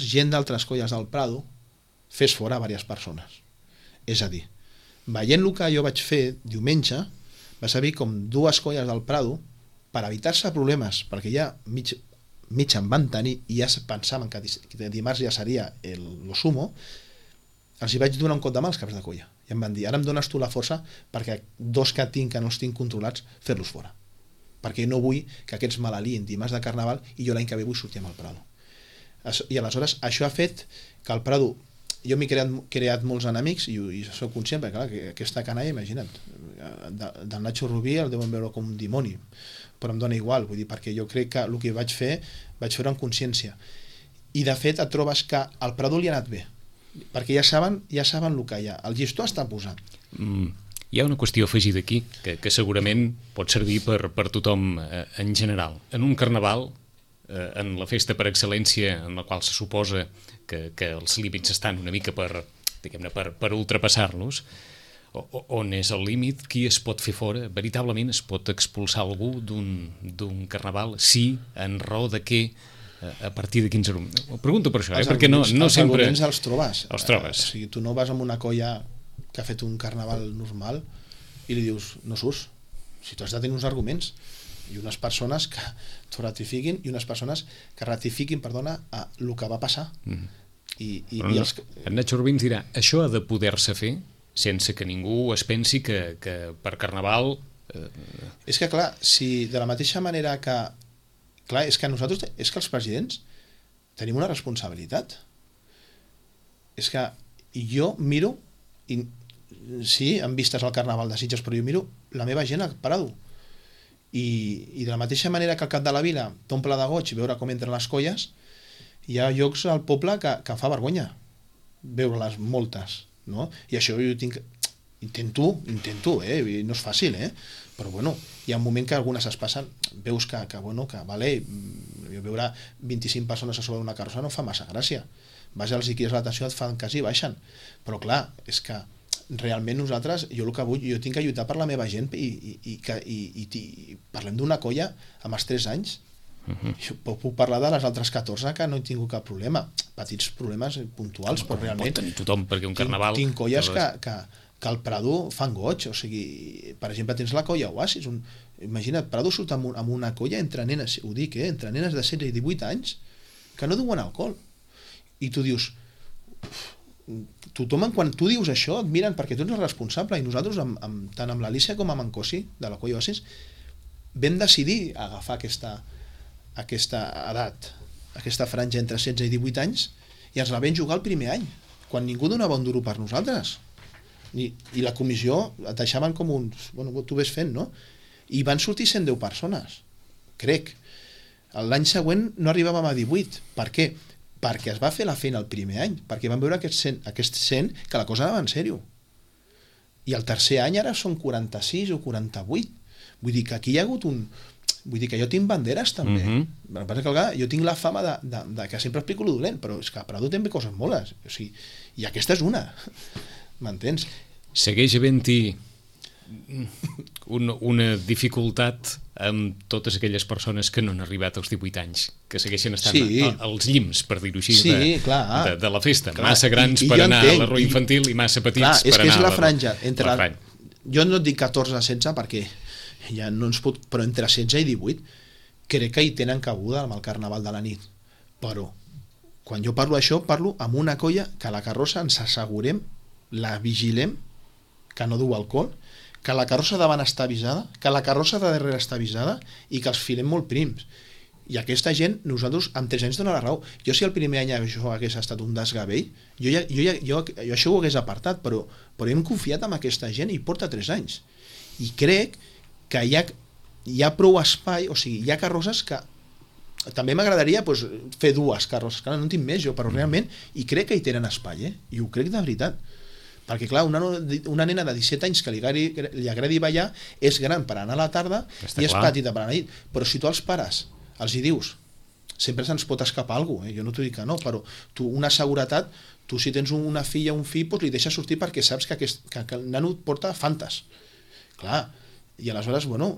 Speaker 3: gent d'altres colles del Prado fes fora diverses persones. És a dir, veient el que jo vaig fer diumenge, va servir com 2 colles del Prado per evitar-se problemes, perquè ja mig em van tenir i ja pensaven que dimarts ja seria lo sumo, els hi vaig donar un cop de mà als caps de colla. I em van dir, ara em dones tu la força perquè 2 que tinc que no els tinc controlats, fer-los fora. Perquè no vull que aquests malalien dimarts de Carnaval i jo l'any que ve vull sortir amb el Prado. I aleshores això ha fet que el Prado, jo m'he creat molts enemics i soc conscient, perquè clar, que aquesta canalla, imagina't, del Nacho Rubí el deuen veure com un dimoni, però em dona igual, vull dir, perquè jo crec que el que vaig fer-ho en consciència. I de fet et trobes que al Prado li ha anat bé, perquè ja saben el que hi ha, el llistó està posat.
Speaker 2: Hi ha una qüestió afegida aquí que segurament pot servir per tothom en general. En un carnaval, en la festa per excel·lència en la qual se suposa que els límits estan una mica per ultrapassar-los, on és el límit, qui es pot fer fora? Veritablement es pot expulsar algú d'un carnaval? Sí, en raó de què? A partir de quins arguments? Ho pregunto per això, perquè no sempre...
Speaker 3: Els arguments els trobes.
Speaker 2: Els trobes.
Speaker 3: O sigui, tu no vas amb una colla que ha fet un carnaval normal i li dius, no surts. Si tu has de tenir uns arguments i unes persones que t'ho ratifiquin i unes persones que ratifiquin, el que va passar.
Speaker 2: En Nacho Rubí ens dirà, això ha de poder-se fer sense que ningú es pensi que per Carnaval...
Speaker 3: És que clar, si de la mateixa manera que... Clar, és que nosaltres, és que els presidents tenim una responsabilitat. És que jo miro, sí, en vistes al Carnaval de Sitges, però jo miro la meva gent al Prado. I de la mateixa manera que al cap de la vila t'omple de goig veure com entren les colles, hi ha llocs al poble que fa vergonya veure-les moltes, no? I això jo intento, no és fàcil, però bueno, hi ha un moment que algunes es passen, veus que vale, veure 25 persones a sobre una carrossa no fa massa gràcia, vas als crides l'atenció, et fan cas i baixen, però clar, és que realment nosaltres, jo el que vull, jo tinc que lluitar per la meva gent i parlem d'una colla amb els 3 anys. Jo puc parlar de les altres 14 que no he tingut cap problema, petits problemes puntuals, però realment
Speaker 2: pot tenir tothom, perquè un carnaval
Speaker 3: tinc colles que al Prado fan goig, o sigui, per exemple tens la colla Oasis, imagina't, Prado surt amb una colla entre nenes, ho dic, entre nenes de 16 i 18 anys que no duen alcohol, i tu dius, tothom quan tu dius això et miren perquè tu ets el responsable, i nosaltres tant amb l'Alícia com amb en Cosi de la colla Oasis vam decidir agafar aquesta edat, aquesta franja entre 16 i 18 anys, i ens la vam jugar el primer any, quan ningú donava un duro per nosaltres. I la comissió et deixaven com uns... Bueno, tu ves fent, no? I van sortir 110 persones, crec. L'any següent no arribàvem a 18. Per què? Perquè es va fer la feina el primer any, perquè van veure aquest 100 que la cosa anava en sèrio. I el tercer any ara són 46 o 48. Vull dir que aquí hi ha hagut un... Vull dir que jo tinc banderes també. El que passa és que jo tinc la fama de que sempre explico lo dolent, però és que a Prado també coses moles. O sigui, i aquesta és una. M'entens?
Speaker 2: Segueix havent-hi una dificultat amb totes aquelles persones que no han arribat als 18 anys, que segueixen estant als llims, per dir-ho així, de la festa. Massa grans per anar a la rua infantil i massa petits per anar a la... És
Speaker 3: que és la franja. Jo no et dic 14 a 16 perquè ja no ens pot... Però entre 16 i 18 crec que hi tenen cabuda amb el Carnaval de la nit. Però quan jo parlo d'això, parlo amb una colla que a la carrossa ens assegurem, la vigilem, que no du alcohol, que la carrossa davant està avisada, que la carrossa de darrere està avisada i que els filem molt prims. I aquesta gent, nosaltres amb 3 anys dona la raó. Jo si el primer any això hagués estat un desgavell, jo això ho hagués apartat, però hem confiat en aquesta gent i porta 3 anys. I crec que hi ha prou espai, o sigui, hi ha carrosses que també m'agradaria fer 2 carrosses, que no en tinc més jo, però realment, i crec que hi tenen espai, i ho crec de veritat. Perquè clar, una nena de 17 anys que li agradi ballar és gran per anar a la tarda i és petita per anar a la nit, però si tu als pares els hi dius sempre se'ns pot escapar alguna cosa, jo no t'ho dic que no, però tu, una seguretat, tu si tens una filla o un fill, doncs li deixes sortir perquè saps que el nano et porta fantes. Clar, i aleshores, bueno,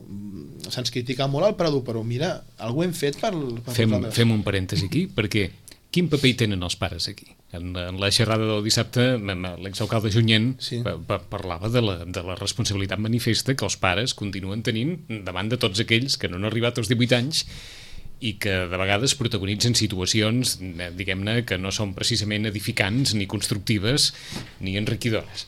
Speaker 3: se'ns critica molt al Prado, però mira, alguna hem fet per
Speaker 2: Fem un parèntesi aquí, perquè quin paper hi tenen els pares aquí? En la xerrada del dissabte, l'exalcalde Junyent parlava de la responsabilitat manifesta que els pares continuen tenint davant de tots aquells que no han arribat als 18 anys i que de vegades protagonitzen situacions, diguem-ne, que no són precisament edificants, ni constructives, ni enriquidores.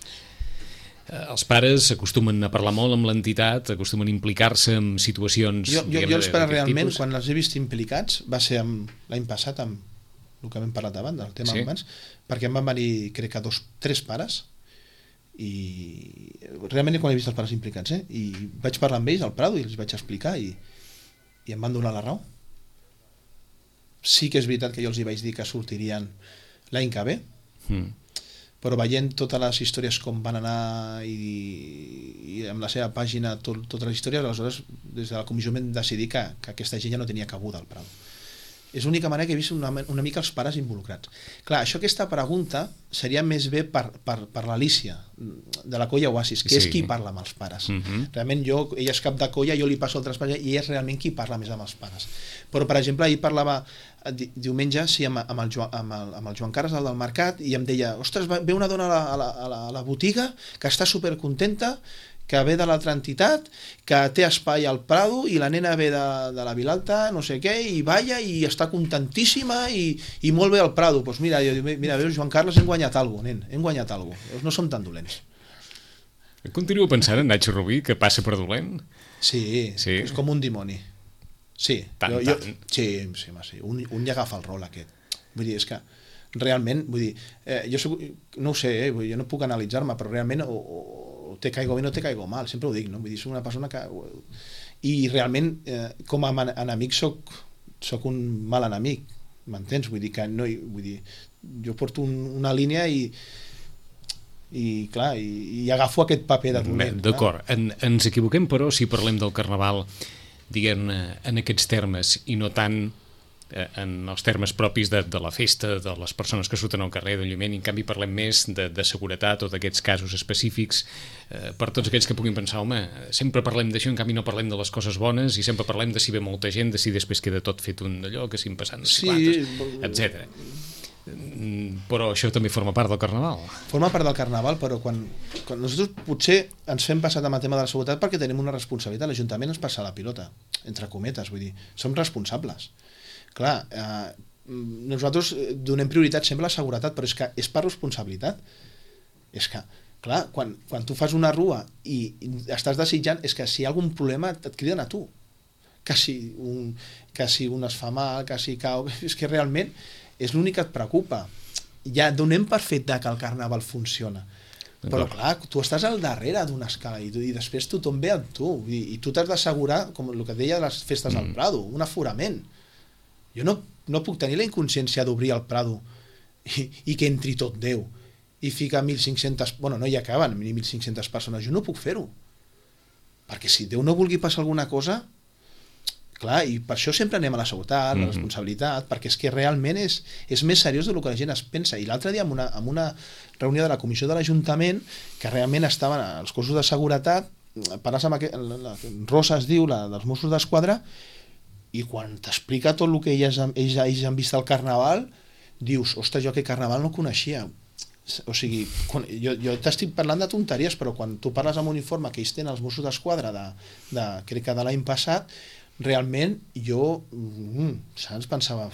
Speaker 2: Els pares acostumen a parlar molt amb l'entitat, acostumen a implicar-se en situacions...
Speaker 3: Jo els pares realment, quan els he vist implicats, va ser l'any passat amb el que hem parlat abans, del tema humans, perquè em van venir, crec que 3 pares, i realment quan he vist els pares implicats, i vaig parlar amb ells al Prado i els vaig explicar i em van donar la raó. Sí que és veritat que jo els hi vaig dir que sortirien l'any que ve, però veient totes les històries com van anar i amb la seva pàgina totes les històries, aleshores des de la comissió vam decidir que aquesta gent ja no tenia cabuda al Prado. És l'única manera que he vist una mica els pares involucrats. Clar, aquesta pregunta seria més bé per l'Alícia, de la Colla Oasis, que és qui parla amb els pares. Realment ella és cap de colla, jo li passo altres pares i ella és realment qui parla més amb els pares. Però, per exemple, ahir parlava diumenge amb el Joan Carles, el del mercat, i em deia, ostres, ve una dona a la botiga que està supercontenta, que ve de l'altra entitat, que té espai al Prado i la nena ve de la Vilalta, no sé què, i balla i està contentíssima i molt bé al Prado. Doncs mira, veus, Joan Carles, hem guanyat alguna cosa, nen, hem guanyat alguna cosa. No som tan dolents.
Speaker 2: Continuo pensant en Nacho Rubí, que passa per dolent?
Speaker 3: Sí, és com un dimoni. Sí, sí, un ja agafa el rol aquest. Vull dir, és que realment, vull dir, jo no ho sé, jo no puc analitzar-me, però realment o te caigo bé o no te caigo mal, sempre ho dic, no? Vull dir, soc una persona que... I realment, com a enemic soc un mal enemic, m'entens? Vull dir que no... Vull dir, jo porto una línia i clar, i agafo aquest paper de dolent.
Speaker 2: D'acord, ens equivoquem, però, si parlem del Carnaval, diguem-ne, en aquests termes, i no tant en els termes propis de la festa, de les persones que surten al carrer, del lluïment, i en canvi parlem més de seguretat o d'aquests casos específics, per tots aquells que puguin pensar, home, sempre parlem d'això, en canvi no parlem de les coses bones, i sempre parlem de si ve molta gent, de si després queda tot fet un d'allò, que si em passen etc. Però això també forma part del Carnaval.
Speaker 3: Forma part del Carnaval, però quan nosaltres potser ens fem passat amb el tema de la seguretat perquè tenim una responsabilitat, l'Ajuntament ens passa la pilota, entre cometes, vull dir, som responsables. Clar, nosaltres donem prioritat sempre a la seguretat, però és que és per responsabilitat. És que, clar, quan tu fas una rua i estàs desitjant, és que si hi ha algun problema et criden a tu. Que si un es fa mal, que si cau... És que realment és l'únic que et preocupa. Ja donem per fet que el Carnaval funciona. Però clar, tu estàs al darrere d'una escala i després tothom ve amb tu. I tu t'has d'assegurar, com el que deia de les festes al Prado, un aforament. Jo no puc tenir la inconsciència d'obrir el Prado i que entri tot Déu i ficar 1.500... Bueno, no hi acaben ni 1.500 persones. Jo no puc fer-ho. Perquè si Déu no vulgui passar alguna cosa... Clar, i per això sempre anem a la seguretat, la responsabilitat, perquè és que realment és més seriós del que la gent es pensa. I l'altre dia, en una reunió de la comissió de l'Ajuntament, que realment estaven els cossos de seguretat, parles amb la Rosa es diu, la dels Mossos d'Esquadra, i quan t'explica tot el que ells han vist al Carnaval, dius, ostres, jo aquest Carnaval no coneixia. O sigui, jo t'estic parlant de tonteries, però quan tu parles amb un informe que ells tenen els Mossos d'Esquadra crec que de l'any passat, realment jo saps, pensava,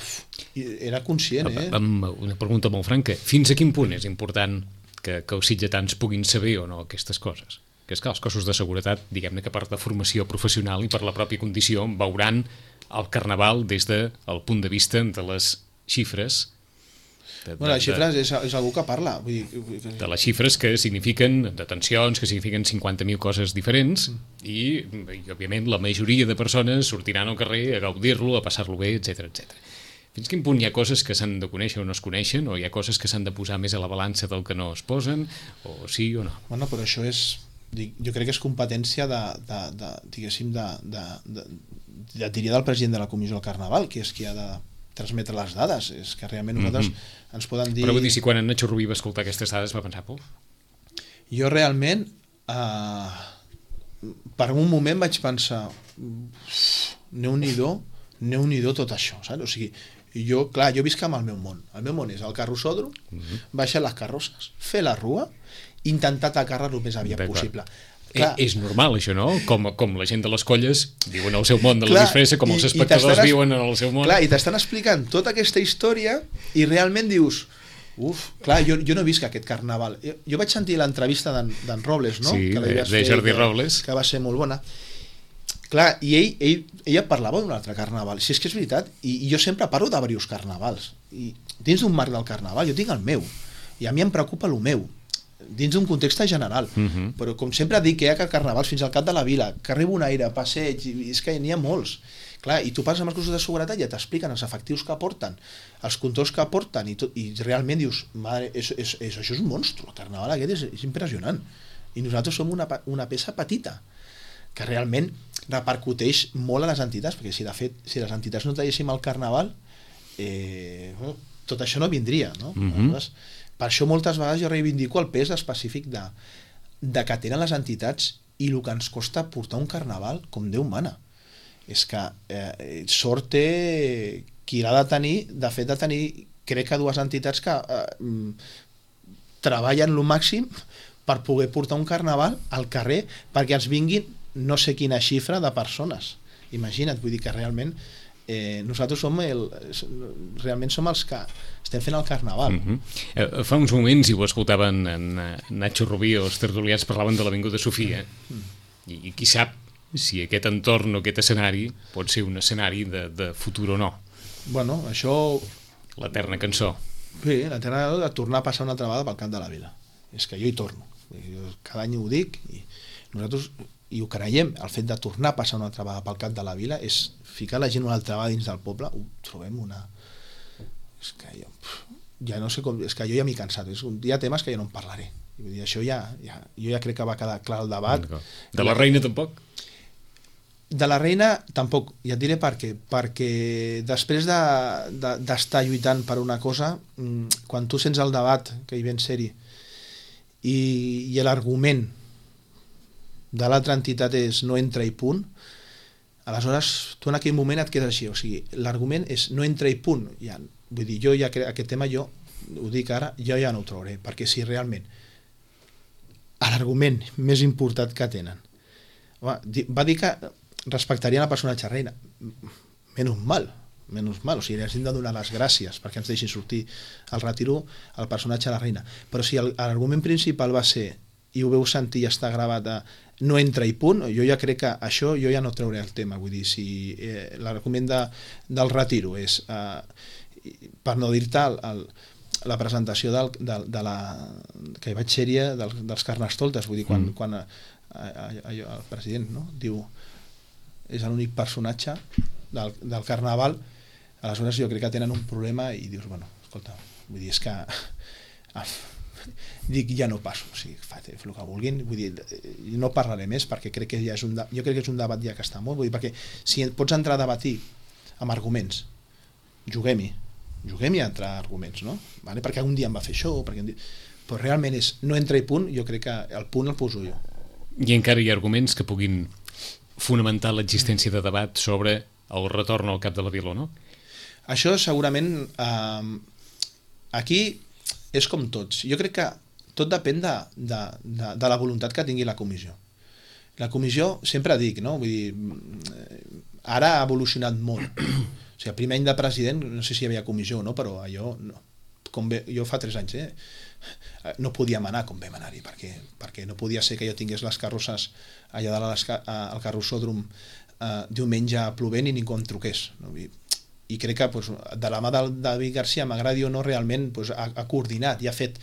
Speaker 3: era conscient.
Speaker 2: Una pregunta molt franca, fins a quin punt és important que els sitgetans puguin saber o no aquestes coses? Que és que els cossos de seguretat, diguem-ne que per de formació professional i per la pròpia condició, veuran el Carnaval des del punt de vista de les xifres.
Speaker 3: Les xifres és algú que parla.
Speaker 2: De les xifres que signifiquen detencions, que signifiquen 50.000 coses diferents i òbviament, la majoria de persones sortiran al carrer a gaudir-lo, a passar-lo bé, etc. Fins quin punt hi ha coses que s'han de conèixer o no es coneixen, o hi ha coses que s'han de posar més a la balança del que no es posen, o sí o no?
Speaker 3: Bueno, però això és... Jo crec que és competència diguéssim, diria del president de la Comissió del Carnaval, que és qui ha transmetre les dades, és que realment nosaltres ens poden dir...
Speaker 2: Però vull dir, si quan en Nacho Rubí va escoltar aquestes dades va pensar,
Speaker 3: jo realment per un moment vaig pensar Déu-n'hi-do tot això, saps? O sigui, jo visc amb el meu món és el carrossòdrom, baixar les carrosses, fer la rua, intentar atacar-la el més aviat possible.
Speaker 2: És normal això, no? Com la gent de les colles viuen el seu món de la disfressa, com els espectadors viuen en el seu món.
Speaker 3: Clar, i t'estan explicant tota aquesta història i realment dius, clar, jo no visc aquest carnaval. Jo vaig sentir l'entrevista d'en Robles, no?
Speaker 2: Sí, de Jordi Robles.
Speaker 3: Que va ser molt bona. Clar, i ella parlava d'un altre carnaval. Si és que és veritat, i jo sempre parlo de diversos carnavals. I dins d'un marc del carnaval, jo tinc el meu, i a mi em preocupa el meu, dins d'un context general, però com sempre dic que hi ha carnavals fins al cap de la vila, carrer Bonaire, passeig, i és que n'hi ha molts. Clar, i tu parles amb els cossos de seguretat i ja t'expliquen els efectius que porten, els controls que porten, i realment dius, madre, això és un monstru, el carnaval aquest és impressionant, i nosaltres som una peça petita, que realment repercuteix molt a les entitats, perquè si de fet, si les entitats no traguéssim el carnaval, tot això no vindria, no? Per això moltes vegades jo reivindico el pes específic de que tenen les entitats i el que ens costa portar un carnaval com Déu mana. És que sort té qui l'ha de tenir, de fet de tenir, crec que dues entitats que treballen el màxim per poder portar un carnaval al carrer perquè ens vinguin no sé quina xifra de persones. Imagina't, vull dir que realment nosaltres realment som els que estem fent el carnaval.
Speaker 2: Fa uns moments, i ho escoltaven en Nacho Rubí o els tertulians parlaven de l'Avinguda Sofia, i qui sap si aquest entorn o aquest escenari pot ser un escenari de futur o no.
Speaker 3: Bueno, això...
Speaker 2: L'eterna cançó.
Speaker 3: Sí, l'eterna cançó de tornar a passar una altra vegada pel Camp de la Vila. És que jo hi torno. Cada any ho dic i nosaltres... i ho creiem, el fet de tornar a passar una altra vegada pel Camp de la Vila és ficar la gent una altra vegada dins del poble, ho trobem una... És que jo ja no sé com... És que jo ja m'he cansat, hi ha temes que jo no en parlaré. Vull dir, això jo ja crec que va quedar clar el debat.
Speaker 2: De la reina tampoc?
Speaker 3: De la reina tampoc, ja et diré per què. Perquè després d'estar lluitant per una cosa, quan tu sents el debat, que hi ven ser-hi, i l'argument de l'altra entitat és no entra i punt, aleshores tu en aquell moment et quedes així, o sigui, l'argument és no entra i punt, ja, vull dir, jo ja aquest tema jo ho dic ara, jo ja no ho trauré, perquè si realment l'argument més important que tenen va dir que respectarien la personatge reina, menys mal, o sigui, els hem de donar les gràcies perquè ens deixin sortir al retiro el personatge de la reina, però si l'argument principal va ser, i ho veu sentir i està gravat a no entra i punt, jo ja crec que això jo ja no trauré el tema, vull dir, si l'argument del retiro és per no dir-te la presentació de la que hi vaig ser-hi dels Carnestoltes, vull dir, quan el president diu és l'únic personatge del carnaval, aleshores jo crec que tenen un problema i dius, bueno, escolta, vull dir, és que dic, ja no passo, o sigui, fer el que vulguin, vull dir, no parlaré més perquè crec que ja és jo crec que és un debat ja que està molt, vull dir, perquè si pots entrar a debatir amb arguments, juguem-hi a entrar arguments, no? Vale? Perquè un dia em va fer això, però realment és no entra i punt, jo crec que el punt el poso jo.
Speaker 2: I encara hi ha arguments que puguin fonamentar l'existència de debat sobre el retorn al Cap de la Vila, no?
Speaker 3: Això segurament aquí és com tots. Jo crec que tot depèn de la voluntat que tingui la comissió. La comissió, sempre dic, no? Vull dir, ara ha evolucionat molt. O sigui, el primer any de president, no sé si hi havia comissió o no, però allò, jo fa 3 anys, no podíem anar com vam anar-hi, perquè no podia ser que jo tingués les carrosses allà dalt al carrossòdrom diumenge plovent i ningú em truqués, no? I crec que de la mà del David García, m'agradi o no, realment ha coordinat i ha fet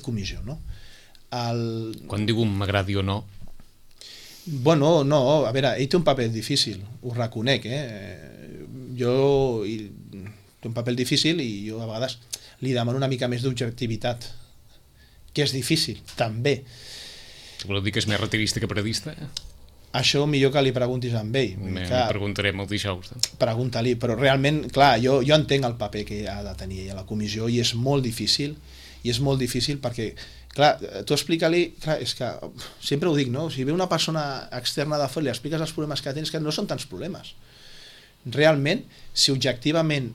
Speaker 3: comissió, no?
Speaker 2: Quan diu m'agradi o no?
Speaker 3: Bueno, no, a veure, ell té un paper difícil, ho reconec, té un paper difícil i jo a vegades li demano una mica més d'objectivitat, que és difícil, també.
Speaker 2: Vol dir que és més retirista que periodista?
Speaker 3: Això millor que li preguntis a ell.
Speaker 2: Li preguntarem el dijous.
Speaker 3: Pregunta-li, però realment, clar, jo entenc el paper que ha de tenir ella a la comissió i és molt difícil perquè, clar, tu explica-li, clar, és que sempre ho dic, no? Si ve una persona externa de fora i li expliques els problemes que tens, que no són tants problemes. Realment, si objectivament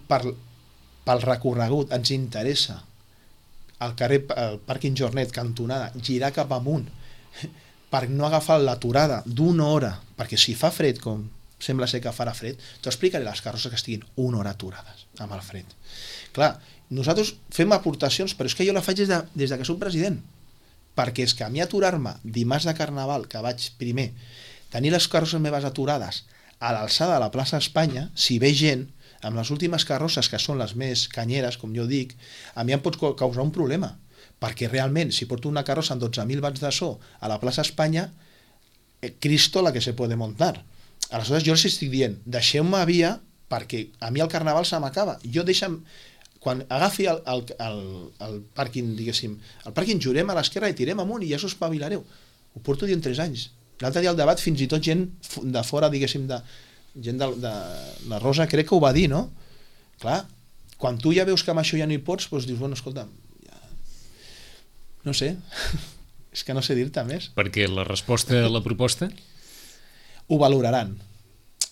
Speaker 3: pel recorregut ens interessa el pàrquing Jornet, cantonada, girar cap amunt, per no agafar l'aturada d'una hora, perquè si fa fred, com sembla ser que farà fred, t'ho explicaré les carrosses que estiguin una hora aturades amb el fred. Clar, nosaltres fem aportacions, però és que jo la faig des que soc president, perquè és que a mi aturar-me dimarts de Carnaval, que vaig primer, tenir les carrosses meves aturades a l'alçada de la plaça Espanya, si ve gent, amb les últimes carrosses, que són les més canyeres, com jo dic, a mi em pot causar un problema, perquè realment, si porto una carrossa amb 12.000 watts de so a la plaça Espanya, Cristo la que se puede montar. Aleshores jo els estic dient, deixeu-me via, perquè a mi el Carnaval se m'acaba. Jo quan agafi el pàrquing, diguéssim, el pàrquing jurem a l'esquerra i tirem amunt i ja s'ho espavilareu. Ho porto dient 3 anys. L'altre dia al debat, fins i tot gent de fora, diguéssim, gent de la Rosa, crec que ho va dir, no? Clar, quan tu ja veus que amb això ja no hi pots, doncs dius, bueno, escolta, no sé, és que no sé dir-te més.
Speaker 2: Perquè la resposta a la proposta?
Speaker 3: Ho valoraran.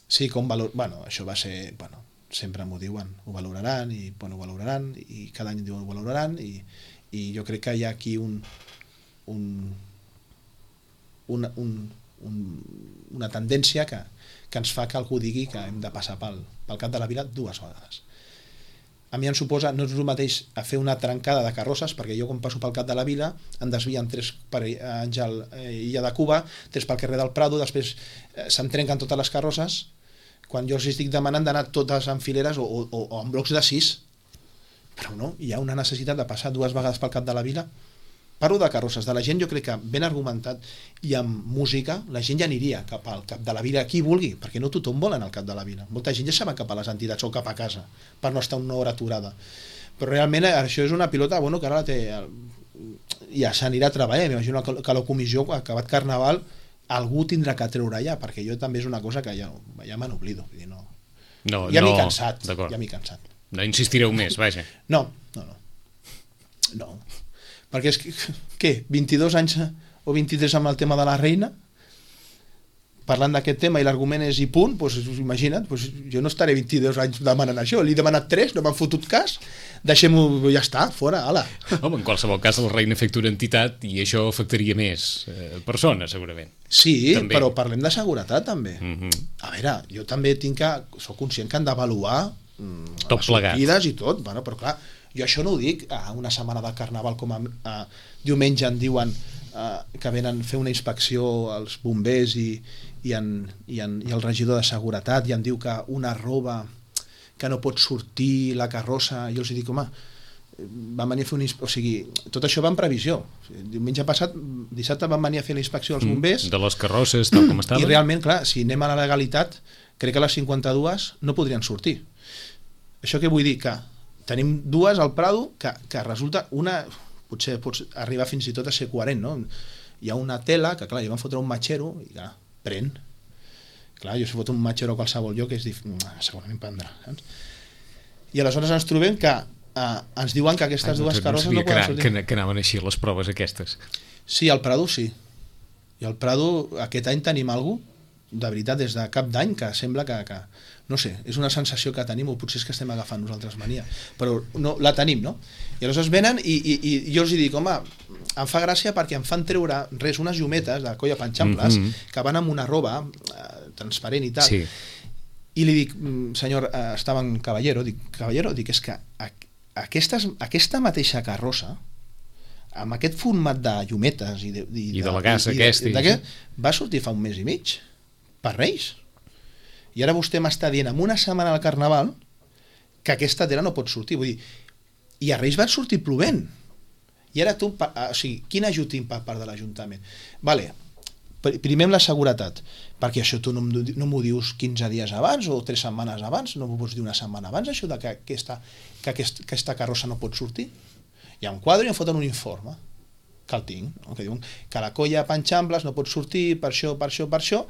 Speaker 3: Sí, bueno, això va ser, bueno, sempre m'ho diuen, ho valoraran i cada any diuen ho valoraran i jo crec que hi ha aquí una tendència que ens fa que algú digui que hem de passar pel cap de la vila 2 vegades. A mi em suposa, no és el mateix a fer una trencada de carrosses, perquè jo quan passo pel cap de la vila em desvien 3 per Àngel Illa de Cuba, 3 pel carrer del Prado, després se'm trenquen totes les carrosses, quan jo els estic demanant d'anar totes en fileres o en blocs de 6, però no, hi ha una necessitat de passar 2 vegades pel cap de la vila. Parlo de carrosses, de la gent jo crec que ben argumentat i amb música la gent ja aniria cap al cap de la vila, qui vulgui, perquè no tothom vol anar al cap de la vila, molta gent ja se va cap a les entitats o cap a casa per no estar una hora aturada, però realment això és una pilota, bueno, que ara la té ja s'anirà a treballar, m'imagino que a la comissió acabat Carnaval algú tindrà que treure ja, perquè jo també és una cosa que ja me n'oblido, ja m'he cansat,
Speaker 2: no insistireu més, vaja.
Speaker 3: No, perquè és que, què, 22 anys o 23 amb el tema de la reina, parlant d'aquest tema i l'argument és i punt, doncs imagina't, doncs jo no estaré 22 anys demanant això, li he demanat 3, no m'han fotut cas, deixem-ho, ja està, fora, ala.
Speaker 2: Home, en qualsevol cas la reina afecta una entitat i això afectaria més persones, segurament.
Speaker 3: Sí, també. Però parlem de seguretat també. A veure, jo també soc conscient que han d'avaluar
Speaker 2: tot
Speaker 3: les
Speaker 2: plegat.
Speaker 3: sortides i tot, bueno, però clar, jo això no ho dic a una setmana de Carnaval com diumenge em diuen que venen a fer una inspecció als bombers i el regidor de seguretat i em diu que una roba que no pot sortir la carrossa, jo els dic, home, van venir a fer o sigui, tot això va en previsió. Diumenge passat, dissabte van venir a fer la inspecció als bombers
Speaker 2: de les carrosses tal com estaven
Speaker 3: i realment, clar, si anem a la legalitat crec que les 52 no podrien sortir. Això què vull dir? Que tenim 2 al Prado que resulta una, potser pots arribar fins i tot a ser coherent, no? Hi ha una tela que clar, hi van fotre un matxero i clar, pren. Clar, jo si foto un matxero a qualsevol lloc segurament prendrà, saps? I aleshores ens trobem que ens diuen que aquestes 2 carrosses no poden sortir.
Speaker 2: Que anaven així les proves aquestes.
Speaker 3: Sí, al Prado sí. I al Prado aquest any tenim alguna cosa, de veritat, des de cap d'any, que sembla que no sé, és una sensació que tenim, o potser és que estem agafant nosaltres mania, però no, la tenim, no? I aleshores venen i jo els dic, home, em fa gràcia perquè em fan treure unes llumetes de colla panxamples que van amb una roba transparent i tal,
Speaker 2: sí.
Speaker 3: I li dic, senyor, estava en Caballero, dic, és que aquesta mateixa carrossa amb aquest format de llumetes i
Speaker 2: de la gas
Speaker 3: va sortir fa un mes i mig per Reis, i ara vostè m'està dient en una setmana al Carnaval que aquesta tela no pot sortir, vull dir, i a Reis van sortir plovent, i ara tu, o sigui, quin ajut tinc per part de l'Ajuntament? Vale, primer amb la seguretat, perquè això tu no m'ho dius 15 dies abans o 3 setmanes abans, no m'ho pots dir una setmana abans, això de que aquesta carrossa no pot sortir. Hi ha un quadre i em foten un informe. que el tinc, no? Que diuen que la colla Panxambles no pot sortir per això,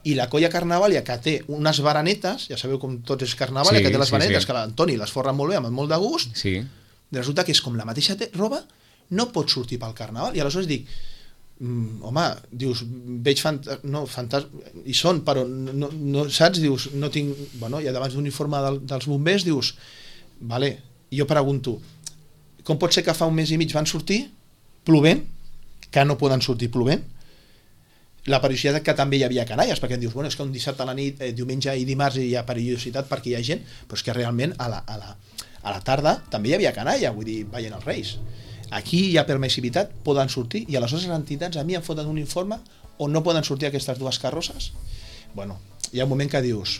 Speaker 3: i la colla Carnavàlia, que té unes baranetes, ja sabeu com tots és Carnavàlia, que té les baranetes, que l'Antoni les forra molt bé, amb molt de gust, resulta que és com la mateixa roba, no pot sortir pel Carnaval, i aleshores dic, home, dius, veig i són, però no saps, dius, no tinc, bueno, i davant d'un informe dels bombers dius, vale, jo pregunto, com pot ser que fa un mes i mig van sortir plovent, que no poden sortir plovent? La perillositat que també hi havia canalles, perquè em dius, bueno, és que un dissabte a la nit, diumenge i dimarts hi ha perillositat perquè hi ha gent, però és que realment a la tarda també hi havia canalla, vull dir, veient els Reis. Aquí hi ha permissivitat, poden sortir, i aleshores les entitats a mi em foten un informe on no poden sortir aquestes dues carrosses. Bueno, hi ha un moment que dius,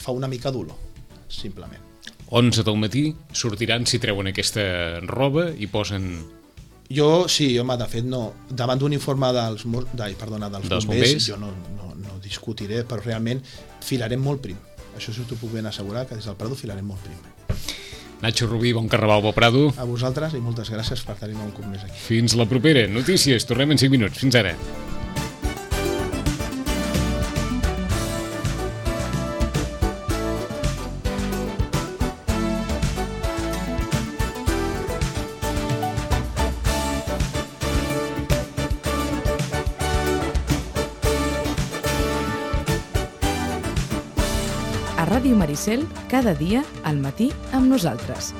Speaker 3: fa una mica dolor, simplement.
Speaker 2: 11 del matí sortiran si treuen aquesta roba i posen...
Speaker 3: Sí, home, de fet no. Davant d'un informe dels bombers, jo no discutiré, però realment filarem molt prim. Això sí t'ho puc ben assegurar, que des del Prado filarem molt prim.
Speaker 2: Nacho Rubí, bon carnaval, bon Prado.
Speaker 3: A vosaltres i moltes gràcies per tenir-me un cop més aquí.
Speaker 2: Fins la propera. Notícies, tornem en 5 minuts. Fins ara.
Speaker 1: A Ràdio Maricel, cada dia al matí amb nosaltres.